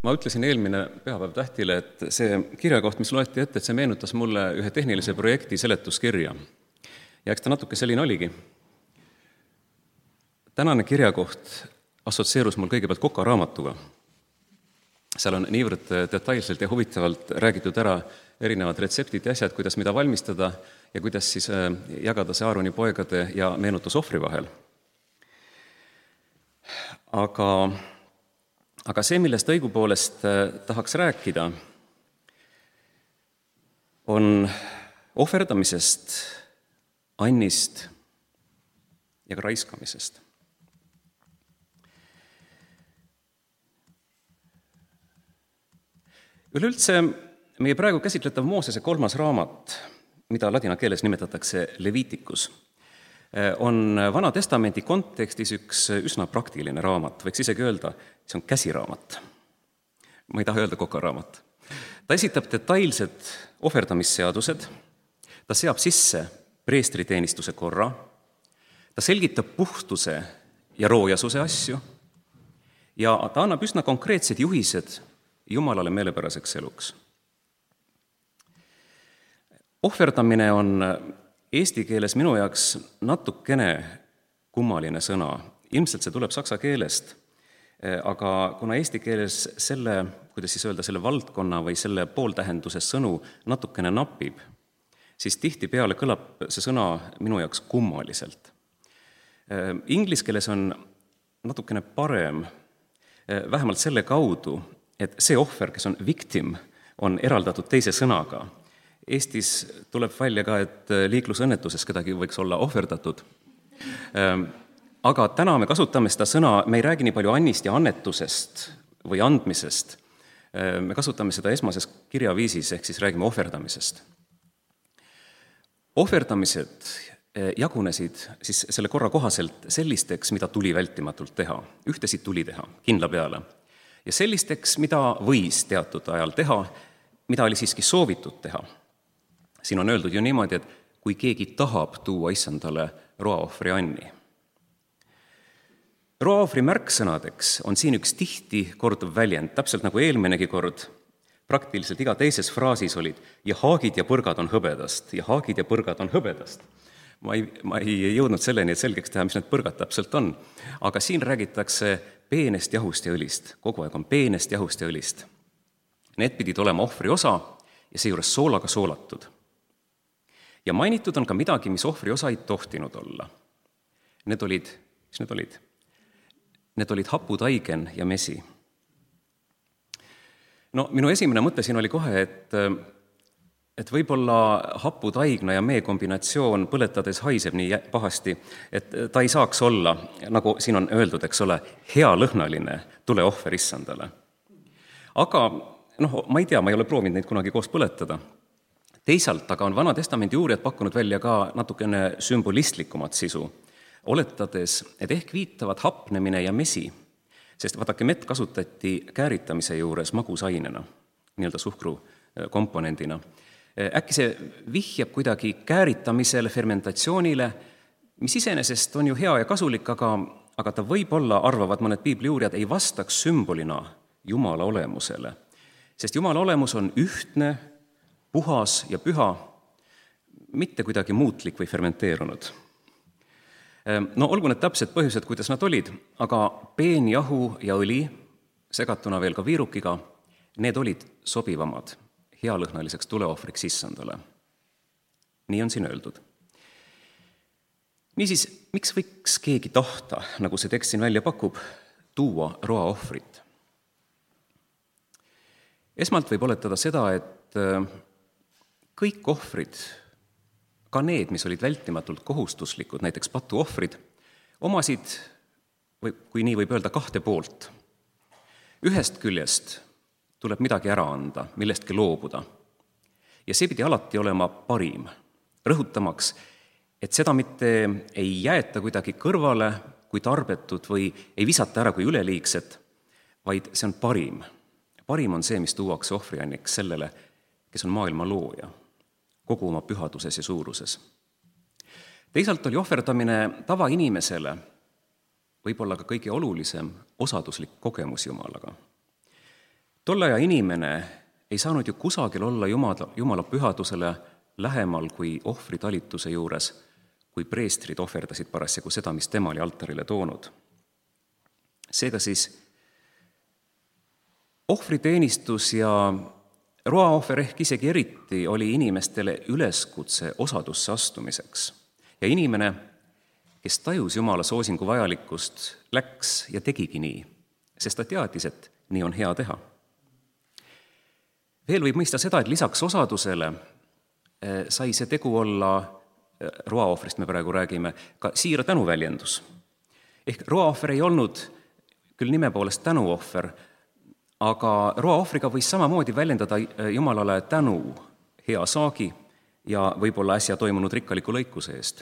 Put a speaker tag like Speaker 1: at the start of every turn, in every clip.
Speaker 1: Ma ütlesin eelmine pühapäev Tähtile, et see kirjakoht, mis loeti ette, et see meenutas mulle ühe tehnilise projekti seletuskirja. Ja eks ta natuke selline oligi. Tänane kirjakoht assotsieerus mul kõigepealt Koka raamatuga. Seal on niivõrd detailselt ja huvitavalt räägitud ära erinevad retseptid ja asjad, kuidas mida valmistada ja kuidas siis jagada see Aaroni poegade ja meenutus ohvri vahel. Aga see, millest õigupoolest tahaks rääkida, on ohverdamisest, annist ja ka raiskamisest. Üleüldse meie praegu käsitletav Moosese 3. raamat, mida ladina keeles nimetatakse Leviticus, on Vana Testamendi kontekstis üks üsna praktiline raamat, võiks isegi öelda, see on käsiraamat. Ma ei taha öelda Koka raamat. Ta esitab detailsed ohverdamisseadused, ta seab sisse preestriteenistuse korra, ta selgitab puhtuse ja roojasuse asju ja ta annab üsna konkreetsed juhised Jumalale meelepäraseks eluks. Ohverdamine on eesti keeles minu jaoks natukene kummaline sõna. Ilmselt see tuleb saksa keelest, aga kuna eesti keeles selle valdkonna või selle pooltähenduse sõnu natukene napib, siis tihtipeale kõlab see sõna minu jaoks kummaliselt. Inglise keeles on natukene parem, vähemalt selle kaudu, et see ohver, kes on victim, on eraldatud teise sõnaga. Eestis tuleb välja ka, et liiklusõnnetuses kedagi võiks olla ohverdatud. Aga täna me kasutame seda sõna, me ei räägi nii palju annist ja annetusest või andmisest. Me kasutame seda esmases kirjaviisis, ehk siis räägime ohverdamisest. Ohverdamised jagunesid siis selle korra kohaselt sellisteks, mida tuli vältimatult teha. Ühtesid tuli teha, kindla peale. Ja sellisteks, mida võis teatud ajal teha, mida oli siiski soovitud teha. Siin on öeldud ju niimoodi, et kui keegi tahab tuua issandale roaohvri anni. Roaohvri märksõnadeks on siin üks tihti korduv väljend, täpselt nagu eelminegi kord, praktiliselt iga teises fraasis olid ja haagid ja põrgad on hõbedast, ja haagid ja põrgad on hõbedast. Ma ei jõudnud selleni, et selgeks teha, mis need põrgad täpselt on, aga siin räägitakse peenest jahust ja õlist, kogu aeg on peenest jahust ja õlist. Need pidid olema ohvri osa ja seejuures soolaga soolatud. Ja mainitud on ka midagi, mis ohvri osa ei tohtinud olla. Need olid haputaigen ja mesi. No, minu esimene mõte siin oli kohe, et võib-olla haputaigna ja mee kombinatsioon põletades haiseb nii pahasti, et ta ei saaks olla, nagu siin on öeldud, eks ole, hea lõhnaline tuleohver issandale. Aga, ma ei tea, ma ei ole proovinud neid kunagi koos põletada. Teisalt aga on Vana Testamendi uurijad pakkunud välja ka natukene sümbolistlikumat sisu, oletades, et ehk viitavad hapnemine ja mesi, sest vaadake, mett kasutati kääritamise juures magusainena, nii-öelda suhkru komponendina. Äkki see vihjab kuidagi kääritamisele, fermentatsioonile, mis iseenesest on ju hea ja kasulik, aga ta võib-olla, arvavad mõned piibliuurijad, ei vastaks sümbolina Jumala olemusele. Sest Jumala olemus on ühtne, puhas ja püha, mitte kuidagi muutlik või fermenteerunud. No olgu need täpsed põhjused, kuidas nad olid, aga peen jahu ja õli, segatuna veel ka viirukiga, need olid sobivamad healõhnaliseks tuleohvriks issandale. Nii on siin öeldud. Niisiis, miks võiks keegi tahta, nagu see tekst siin välja pakub, tuua roaohvrit? Esmalt võib oletada seda, et kõik ohvrid, ka need, mis olid vältimatult kohustuslikud, näiteks patuohvrid, omasid, kui nii võib öelda, kahte poolt. Ühest küljest tuleb midagi ära anda, millestki loobuda. Ja see pidi alati olema parim, rõhutamaks, et seda mitte ei jäeta kuidagi kõrvale kui tarbetut või ei visata ära kui üleliigset, vaid see on parim. Parim on see, mis tuuakse ohvrianniks sellele, kes on maailma looja, kogu oma pühaduses ja suuruses. Teisalt oli ohverdamine tavainimesele võib-olla ka kõige olulisem osaduslik kogemus Jumalaga. Tolle aja inimene ei saanud ju kusagil olla Jumala pühadusele lähemal kui ohvritalituse juures, kui preestrid ohverdasid parasjagu seda, mis tema oli altarile toonud. Seega siis ohvriteenistus ja roaohver ehk isegi eriti oli inimestele üleskutse osadusse astumiseks. Ja inimene, kes tajus Jumala soosingu vajalikkust, läks ja tegigi nii, sest ta teadis, et nii on hea teha. Veel võib mõista seda, et lisaks osadusele sai see tegu olla, roaohvrist me praegu räägime, ka siira tänuväljendus. Ehk roaohver ei olnud küll nime poolest tänuohver, aga roaohvriga võis samamoodi väljendada Jumalale tänu hea saagi ja võib-olla äsja toimunud rikkaliku lõikuse eest.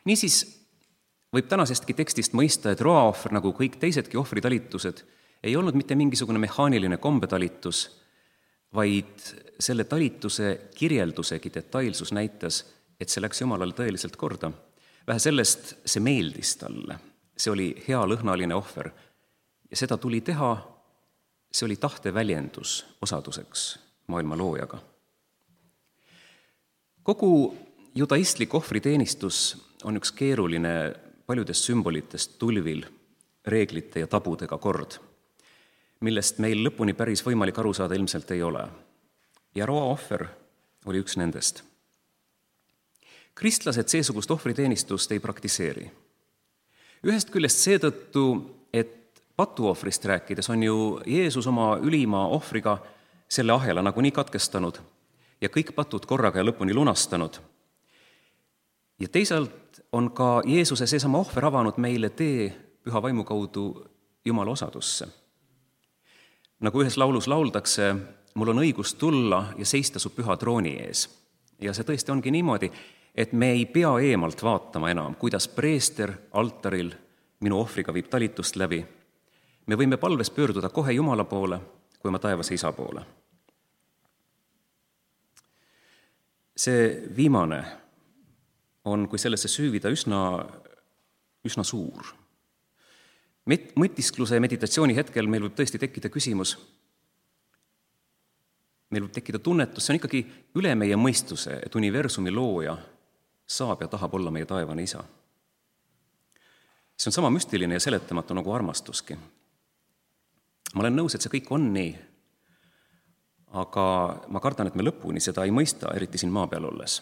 Speaker 1: Niisiis võib tänasestki tekstist mõista, et roaohver, nagu kõik teisedki ohvritalitused, ei olnud mitte mingisugune mehaaniline kombetalitus, vaid selle talituse kirjeldusegi detailsus näitas, et see läks Jumalale tõeliselt korda. Vähe sellest, see meeldis talle. See oli hea lõhnaline ohver. Ja seda tuli teha, see oli tahte väljendus osaduseks maailma loojaga. Kogu judaistlik ohvriteenistus on üks keeruline paljudest sümbolitest tulvil, reeglite ja tabudega kord, millest meil lõpuni päris võimalik aru saada ilmselt ei ole. Ja roaohver oli üks nendest. Kristlased seesugust ohvriteenistust ei praktiseeri. Ühest küljest seetõttu, et patuohvrist rääkides on ju Jeesus oma ülima ohvriga selle ahela nagunii katkestanud ja kõik patud korraga ja lõpuni lunastanud. Ja teisalt on ka Jeesuse seesama ohver avanud meile tee püha vaimu kaudu Jumala osadusse. Nagu ühes laulus lauldakse, mul on õigus tulla ja seista su püha trooni ees. Ja see tõesti ongi niimoodi, et me ei pea eemalt vaatama enam, kuidas preester altaril minu ohvriga viib talitust läbi. Me võime palves pöörduda kohe Jumala poole, kui oma taevase isa poole. See viimane on, kui sellesse süüvida, üsna suur. Mõtiskluse ja meditatsiooni hetkel meil võib tõesti tekkida küsimus, meil võib tekkida tunnetus, see on ikkagi üle meie mõistuse, et universumi looja saab ja tahab olla meie taevane isa. See on sama müstiline ja seletamatu nagu armastuski. Ma olen nõus, et see kõik on nii, aga ma kardan, et me lõpuni seda ei mõista, eriti siin maa peal olles.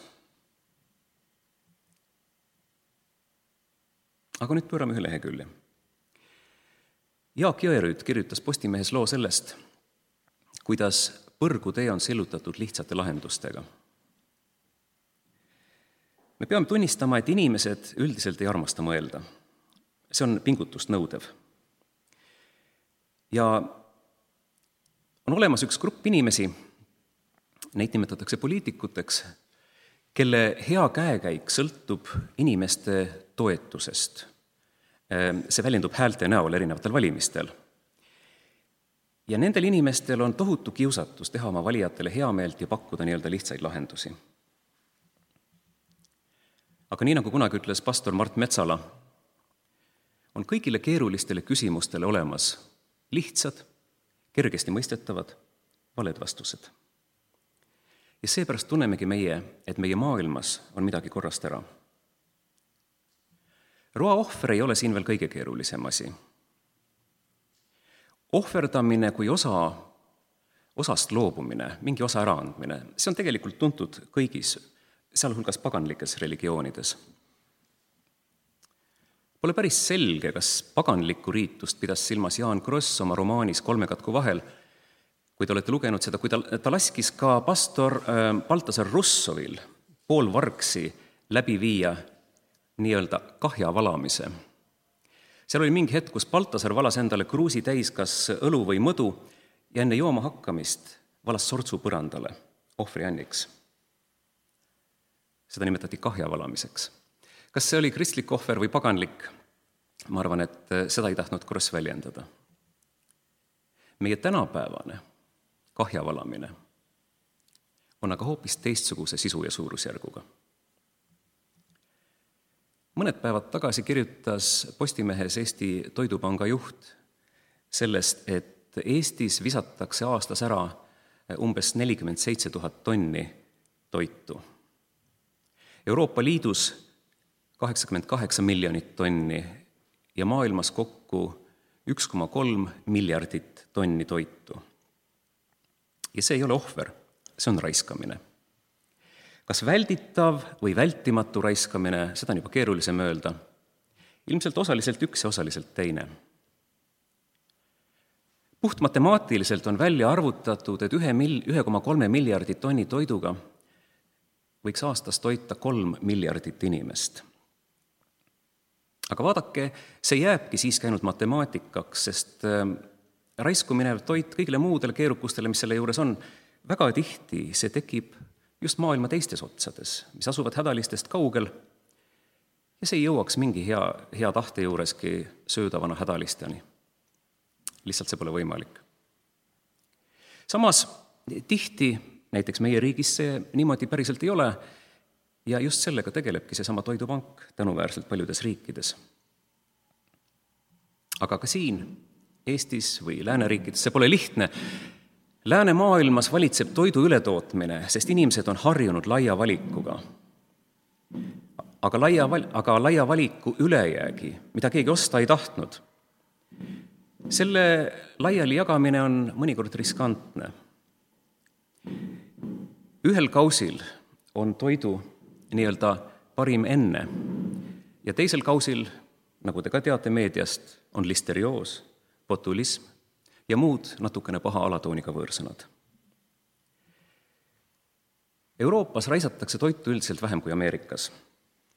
Speaker 1: Aga nüüd pöörame ühe lehekülje. Jaak Jõerüüt kirjutas Postimehes loo sellest, kuidas põrgutee on sillutatud lihtsate lahendustega. Me peame tunnistama, et inimesed üldiselt ei armasta mõelda. See on pingutust nõudev. Ja on olemas üks grupp inimesi, neid nimetatakse poliitikuteks, kelle hea käekäik sõltub inimeste toetusest. See väljendub häälte näol erinevatel valimistel. Ja nendel inimestel on tohutu kiusatus teha oma valijatele heameelt ja pakkuda nii-öelda lihtsaid lahendusi. Aga nii nagu kunagi ütles pastor Mart Metsala, on kõigile keerulistele küsimustele olemas lihtsad, kergesti mõistetavad, valed vastused. Ja seepärast tunnemegi meie, et meie maailmas on midagi korrast ära. Roaohver ei ole siin veel kõige keerulisem asi. Ohverdamine kui osast loobumine, mingi osa äraandmine, see on tegelikult tuntud kõigis, sealhulgas paganlikes religioonides. Pole päris selge, kas paganlikku riitust pidas silmas Jaan Kross oma romaanis Kolmekatku vahel, kui te olete lugenud seda, kui ta laskis ka pastor Baltasar Russovil poolvargsi läbi viia nii-öelda kahja valamise. Seal oli mingi hetk, kus Baltasar valas endale kruusi täis kas õlu või mõdu ja enne jooma hakkamist valas sortsu põrandale ohvrianniks. Seda nimetati kahja valamiseks. Kas see oli kristlik ohver või paganlik? Ma arvan, et seda ei tahtnud Kross väljendada. Meie tänapäevane kahja valamine on aga hoopis teistsuguse sisu ja suurusjärguga. Mõned päevad tagasi kirjutas Postimehes Eesti Toidupanga juht sellest, et Eestis visatakse aastas ära umbes 47 000 tonni toitu. Euroopa Liidus 88 miljonit tonni ja maailmas kokku 1,3 miljardit tonni toitu. Ja see ei ole ohver, see on raiskamine. Kas välditav või vältimatu raiskamine, seda on juba keerulisem öelda. Ilmselt osaliselt üks ja osaliselt teine. Puhtmatemaatiliselt on välja arvutatud, et 1,3 miljardit tonni toiduga võiks aastas toita 3 miljardit inimest. Aga vaadake, see jääbki siiski ainult matemaatikaks, sest raisku minev toit kõigile muudele keerukustele, mis selle juures on, väga tihti see tekib just maailma teistes otsades, mis asuvad hädalistest kaugel, ja see ei jõuaks mingi hea tahte juureski söödavana hädalisteni. Lihtsalt see pole võimalik. Samas tihti, näiteks meie riigis see niimoodi päriselt ei ole, ja just sellega tegelebki seesama toidupank tänuväärselt paljudes riikides. Aga ka siin, Eestis või lääneriikides, see pole lihtne. Läänemaailmas valitseb toidu ületootmine, sest inimesed on harjunud laia valikuga. Aga laia valiku ülejäägi, mida keegi osta ei tahtnud, selle laiali jagamine on mõnikord riskantne. Ühel kausil on toidu nii-öelda parim enne ja teisel kausil, nagu te ka teate meediast, on listerioos, botulism ja muud natukene paha alatooniga võõrsõnad. Euroopas raisatakse toitu üldiselt vähem kui Ameerikas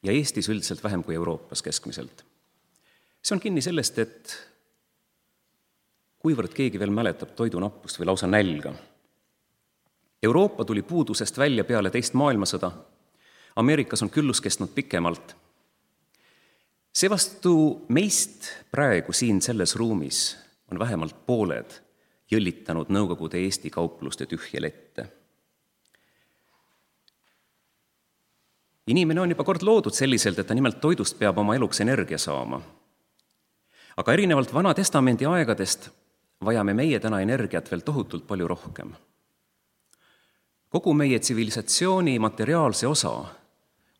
Speaker 1: ja Eestis üldiselt vähem kui Euroopas keskmiselt. See on kinni sellest, et kuivõrd keegi veel mäletab toidunappust või lausa nälga. Euroopa tuli puudusest välja peale teist maailmasõda. Ameerikas on küllus kestnud pikemalt. Seevastu meist praegu siin selles ruumis on vähemalt pooled jõllitanud Nõukogude Eesti kaupluste tühje lette. Inimene on juba kord loodud selliselt, et ta nimelt toidust peab oma eluks energia saama. Aga erinevalt Vana Testamendi aegadest vajame meie täna energiat veel tohutult palju rohkem. Kogu meie tsivilisatsiooni materiaalse osa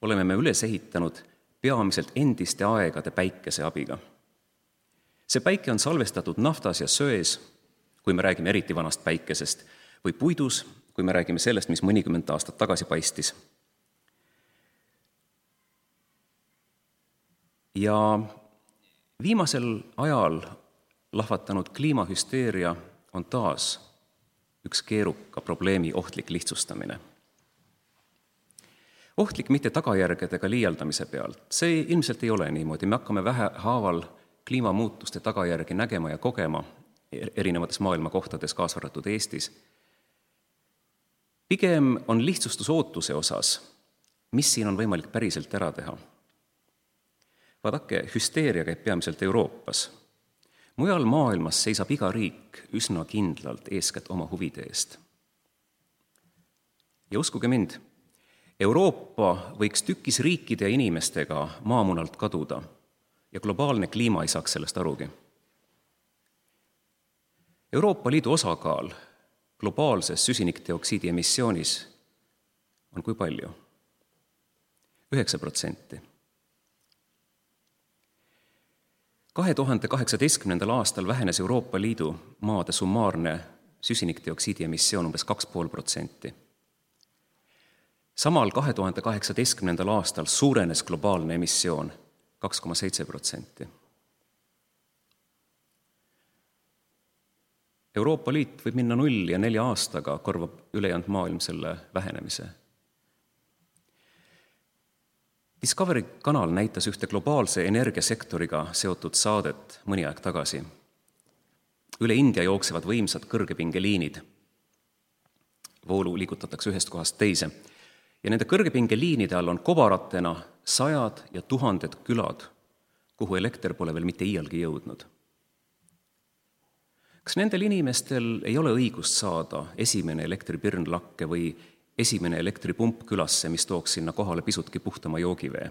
Speaker 1: oleme me üles ehitanud peamiselt endiste aegade päikese abiga. See päike on salvestatud naftas ja söes, kui me räägime eriti vanast päikesest, või puidus, kui me räägime sellest, mis mõnikümmend aastat tagasi paistis. Ja viimasel ajal lahvatanud kliimahüsteeria on taas üks keeruka probleemi ohtlik lihtsustamine. Ohtlik mitte tagajärgedega liialdamise pealt. See ilmselt ei ole niimoodi. Me hakkame vähehaaval kliimamuutuste tagajärgi nägema ja kogema erinevates maailma kohtades, kaasa arvatud Eestis. Pigem on lihtsustus ootuse osas, mis siin on võimalik päriselt ära teha. Vaadake, hüsteeria käib peamiselt Euroopas. Mujal maailmas seisab iga riik üsna kindlalt eeskätt oma huvide eest. Ja uskuge mind, Euroopa võiks tükis riikide ja inimestega maamunalt kaduda ja globaalne kliima ei saaks sellest arugi. Euroopa Liidu osakaal globaalses süsinikdioksiidi emissioonis on kui palju? 9%. 2018. aastal vähenes Euroopa Liidu maade summaarne süsinikdioksiidi emissioon umbes 2,5%. Samal 2018. aastal suurenes globaalne emissioon 2,7%. Euroopa Liit võib minna 0 ja 4 aastaga korvab ülejäänud maailm selle vähenemise. Discovery kanal näitas ühte globaalse energiasektoriga seotud saadet mõni aeg tagasi. Üle India jooksevad võimsad kõrgepingeliinid. Voolu liigutatakse ühest kohast teise. Ja nende kõrgepingeliinide all on kobaratena 100 ja 1000 külad, kuhu elekter pole veel mitte iialgi jõudnud. Kas nendel inimestel ei ole õigust saada esimene elektripirnlakke või esimene elektripump külasse, mis tooks sinna kohale pisutki puhtama joogivee?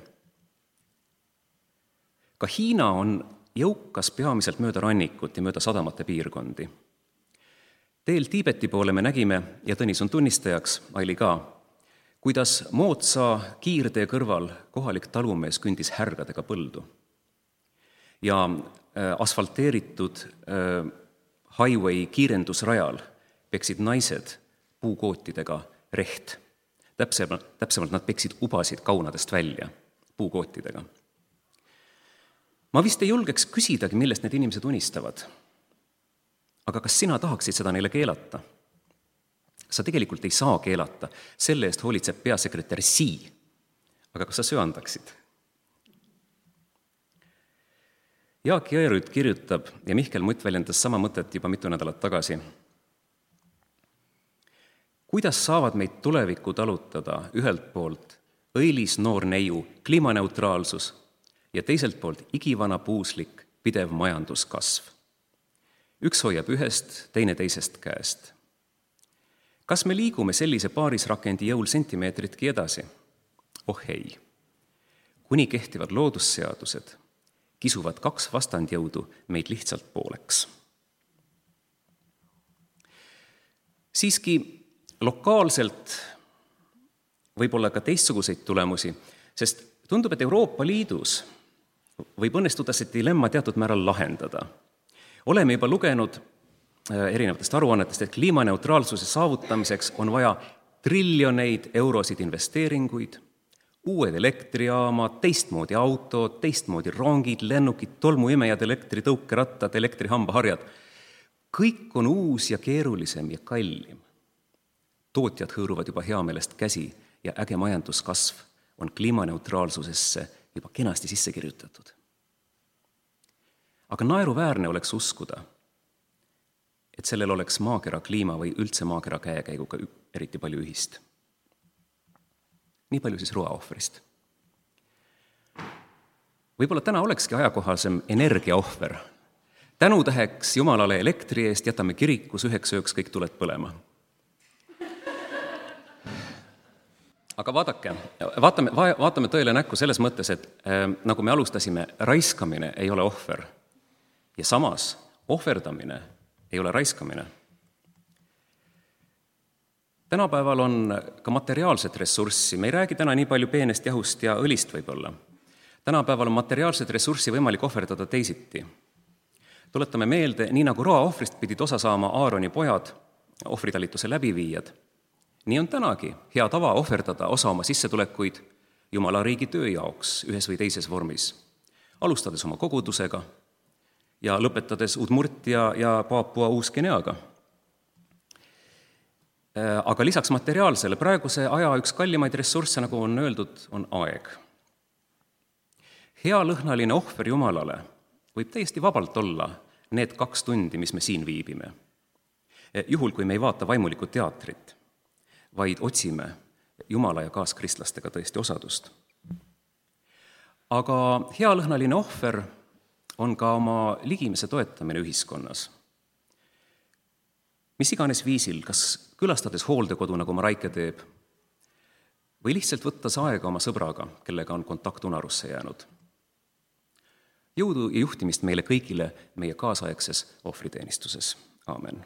Speaker 1: Ka Hiina on jõukas peamiselt mööda rannikut ja mööda sadamate piirkondi. Teel Tiibeti poole me nägime, ja Tõnis on tunnistajaks, Aili ka, kuidas moodsa kiirtee kõrval kohalik talumees kündis härgadega põldu. Ja asfalteeritud highway kiirendusrajal peksid naised puukootidega reht. Täpsemalt nad peksid ubasid kaunadest välja puukootidega. Ma vist ei julgeks küsidagi, millest need inimesed unistavad. Aga kas sina tahaksid seda neile keelata? Sa tegelikult ei saa keelata, selle eest hoolitseb peasekretär Sii. Aga kas sa söandaksid? Jaak Jõerüüt kirjutab, ja Mihkel Mutt väljendas sama mõtet juba mitu nädalat tagasi. Kuidas saavad meid tulevikku talutada ühelt poolt õilis noor neiu kliimaneutraalsus ja teiselt poolt igivana puuslik pidev majanduskasv? Üks hoiab ühest, teine teisest käest. Kas me liigume sellise paarisrakendi jõul sentimeetritki edasi? Oh ei. Kuni kehtivad loodusseadused, kisuvad kaks vastandjõudu meid lihtsalt pooleks. Siiski lokaalselt võib olla ka teistsuguseid tulemusi, sest tundub, et Euroopa Liidus võib õnnestuda see dilemma teatud määral lahendada. Oleme juba lugenud erinevatest aruannetest, et kliimaneutraalsuse saavutamiseks on vaja triljoneid eurosid investeeringuid, uued elektrijaamad, teistmoodi autod, teistmoodi rongid, lennukid, tolmuimejad, elektritõukerattad, elektrihambaharjad. Kõik on uus ja keerulisem ja kallim. Tootjad hõõruvad juba heameelest käsi ja äge majanduskasv on kliimaneutraalsusesse juba kenasti sisse kirjutatud. Aga naeruväärne oleks uskuda, et sellel oleks maakera kliima või üldse maakera käekäiguga eriti palju ühist. Nii palju siis roaohvrist. Võib-olla täna olekski ajakohasem energiaohver. Tänutäheks Jumalale elektri eest jätame kirikus üheks ööks kõik tuled põlema. Aga vaatame tõele näkku selles mõttes, et nagu me alustasime, raiskamine ei ole ohver. Ja samas ohverdamine ei ole raiskamine. Tänapäeval on ka materiaalset ressurssi. Me ei räägi täna nii palju peenest jahust ja õlist võib-olla. Tänapäeval on materiaalset ressurssi võimalik ohverdada teisiti. Tuletame meelde, nii nagu roaohvrist pidid osa saama Aaroni pojad, ohvritalituse läbiviijad. Nii on tänagi hea tava ohverdada osa oma sissetulekuid Jumala riigi töö jaoks ühes või teises vormis, alustades oma kogudusega ja lõpetades Udmurtia ja Paapua Uus-Guineaga. Aga lisaks materiaalsele praeguse aja üks kallimaid ressursse, nagu on öeldud, on aeg. Hea lõhnaline ohver Jumalale võib täiesti vabalt olla need 2 tundi, mis me siin viibime. Juhul, kui me ei vaata vaimulikku teatrit, vaid otsime Jumala ja kaaskristlastega tõesti osadust. Aga hea lõhnaline ohver on ka oma ligimese toetamine ühiskonnas. Mis iganes viisil, kas külastades hooldekodu, nagu Mareike teeb, või lihtsalt võttes aega oma sõbraga, kellega on kontakt unarusse jäänud. Jõudu ja juhtimist meile kõigile meie kaasaegses ohvriteenistuses. Aamen.